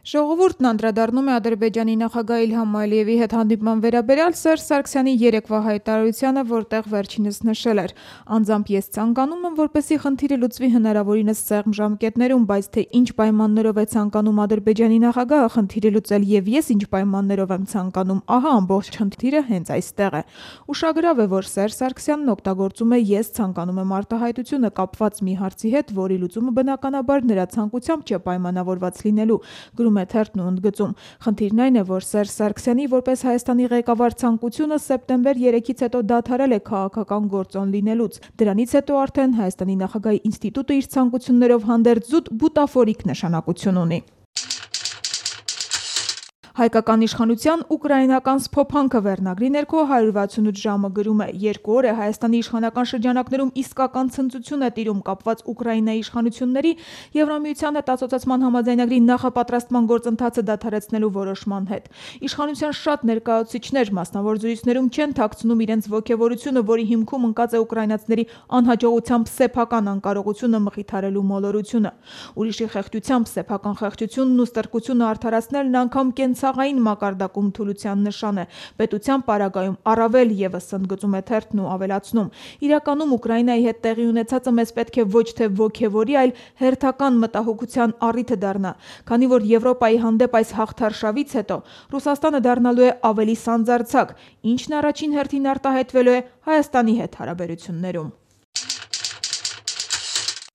Ժողովուրդն անդրադառնում է Ադրբեջանի նախագահ Իլհամ Ալիևի հետ հանդիպման վերաբերյալ Սերժ Սարգսյանի երեկվա հայտարարությանը, որտեղ վերջինս նշել էր. «Անձամբ ես ցանկանում եմ, որպեսզի խնդիրը լուծվի հնարավորինս սեղմ ժամկետներում, բայց թե ինչ պայմաններով է ցանկանում Ադրբեջանի նախագահը խնդիրը լուծել եւ ես ինչ պայմաններով եմ ցանկանում, ահա ամբողջ խնդիրը հենց այստեղ է»։ Ուշագրավ է, որ Սերժ Սարգսյանն օգտագործում է «ես ցանկանում եմ» արտահայտությունը կապված մի հարցի հետ, որի լուծումը բնականաբար նրա ցանկությամբ չէ պայմանավորված լինելու, գրում է թերթն ու ընդգծում. «Խնդիրն այն է, որ Սերժ Սարգսյանի որպես Հայաստանի ղեկավար ցանկությունը սեպտեմբեր 3-ից հետո դադարել է քաղաքական գործոն լինելուց։ Դրանից հետո արդեն Հայաստանի նախագահի ինստիտուտը իր ցանկություններով հանդերձ զուտ բուտաֆորիկ նշանակություն ունի»։ Հայկական իշխանության ուկրաինական սփոփանքը վերնագրի ներքո 168 ժամը գրում է. «Երկու օր է Հայաստանի իշխանական շրջանակներում իսկական ցնծություն է տիրում կապված Ուկրաինայի իշխանությունների Եվրամիության հետ ասոցիացման համաձայնագրի նախապատրաստման գործընթացը դադարեցնելու որոշման հետ։ Իշխանության շատ ներկայացուցիչներ մասնավոր զրույցներում չեն թաքցնում իրենց ոգևորությունը, որի հիմքում ընկած է ուկրաինացիների անհաջողությամբ սեփական անկարողությունը մխիթարելու մոլորությունը։ Ուրիշի խեղճությամբ սեփական խեղճությունն ու ստրկությունը արդարացնելն անգամ կենցաղային մակարդակում թուլության նշան է։ Պետության պարագայում առավել ևս», ընդգծում է թերթն ու ավելացնում. «Իրականում Ուկրաինայի հետ տեղի ունեցածը մեզ պետք է ոչ թե ոգևորի, այլ հերթական մտահոգության առիթը դառնա, քանի որ Եվրոպայի հանդեպ այս հաղթարշավից հետո Ռուսաստանը դառնալու է ավելի սանձարձակ, ինչն առաջին հերթին արտահայտվելու է Հայաստանի հետ հարաբերություններում»։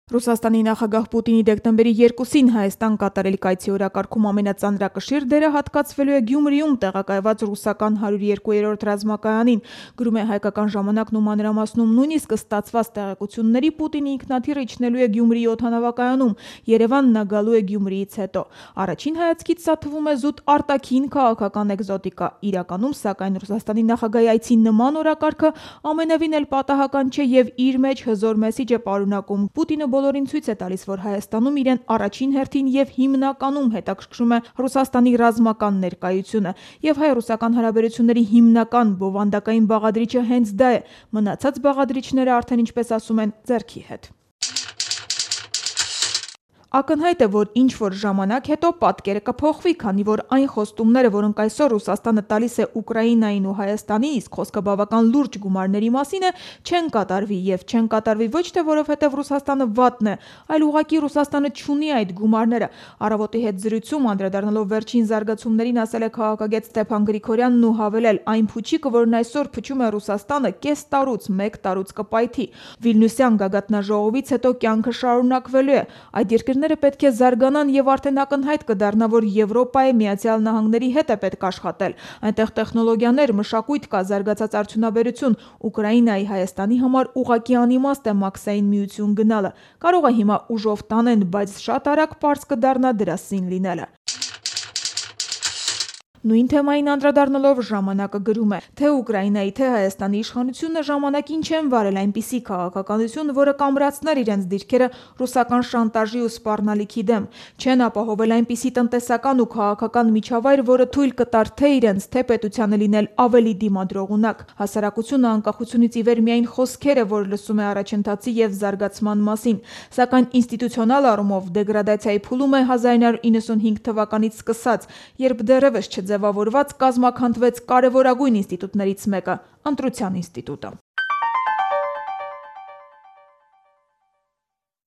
Ռուսաստանի նախագահ Պուտինի դեկտեմբերի 2-ին Հայաստան կատարել կայցի օրակարգում ամենածանրակշիռ դերը հատկացվելու է Գյումրիում տեղակայված ռուսական 102-րդ ռազմակայանին, գրում է Հայկական ժամանակն ու մանրամասնում. «Նույնիսկ ստացված տեղեկությունների Պուտինի ինքնաթիռը իջնելու է Գյումրիի օդանավակայանում, Երևան նա գալու է Գյումրիից հետո։ Առաջին հայացքից սա թվում է զուտ արտաքին քաղաքական էկզոտիկա։ Իրականում, սակայն, Ռուսաստանի նախագահի այցի նման օրակարգը ամենևին էլ պատահական չէ եւ իր մեջ հզոր մեսիջ է պարունակում։ Պուտինը բոլորին ցույց է տալիս, որ Հայաստանում իրեն առաջին հերթին եւ հիմնականում հետաքրքրում է Ռուսաստանի ռազմական ներկայությունը, եւ հայ-ռուսական հարաբերությունների հիմնական բովանդակային բաղադրիչը հենց դա է։ Մնացած բաղադրիչները արդեն, ինչպես ասում են, ձեռքի հետ»։ Ակնհայտ է, որ ինչ-որ ժամանակ հետո պատկերը կփոխվի, քանի որ այն խոստումները, որոնք այսօր Ռուսաստանը տալիս է Ուկրաինային ու Հայաստանի, իսկ խոսքը բավական լուրջ գումարների մասին է, չեն կատարվի, եւ չեն կատարվի ոչ թե որովհետեւ Ռուսաստանը վատն է, այլ ուղղակի Ռուսաստանը չունի այդ գումարները։ Առավոտի հետ զրույցում անդրադառնալով վերջին զարգացումներին, ասել է քաղաքագետ Ստեփան Գրիգորյանն ու հավելել. «Այն փուչիկը, որն այսօր փչում է Ռուսաստանը, կես տարուց, մեկ տարուց կպայթի։ Վիլնյուսյան գագաթնաժողովից հետո կյանքը շարունակվելու է։ Այդ երկրները պետք է զարգանան եւ արդեն ակնհայտ կդառնա, որ Եվրոպայի, Միացյալ Նահանգների հետ է պետք աշխատել։ Այնտեղ տեխնոլոգիաներ, մշակույթ կա, զարգացած արդյունաբերություն։ Ուկրաինայի, Հայաստանի համար ուղղակի անիմաստ է Մաքսային միություն գնալը։ Կարող է հիմա ուժով տանեն, բայց շատ արագ պարզ կդառնա դրա սին լինելը»։ Նույն թեմային անդրադառնալով ժամանակը գրում է. «Թե Ուկրաինայի, թե Հայաստանի իշխանությունը ժամանակին չեն վարել այնպիսի քաղաքականություն, որը կամրացներ իրենց դիրքերը ռուսական շանտաժի ու սպառնալիքի դեմ, չեն ապահովել այնպիսի տնտեսական ու քաղաքական միջավայր, որը թույլ կտար թե իրենց, թե պետությանը լինել ավելի դիմադրողունակ։ Հասարակությունը անկախությունից ի վեր միայն խոսքեր է, որ լսում է առաջընթացի եւ զարգացման մասին, սակայն ինստիտուցիոնալ առումով դեգրադացիայի փուլում է 1995 թվականից սկսած, երբ դեռևս չձևավորված կազմաքանդվեց կարևորագույն ինստիտուտներից մեկը՝ Ընտրության ինստիտուտը»։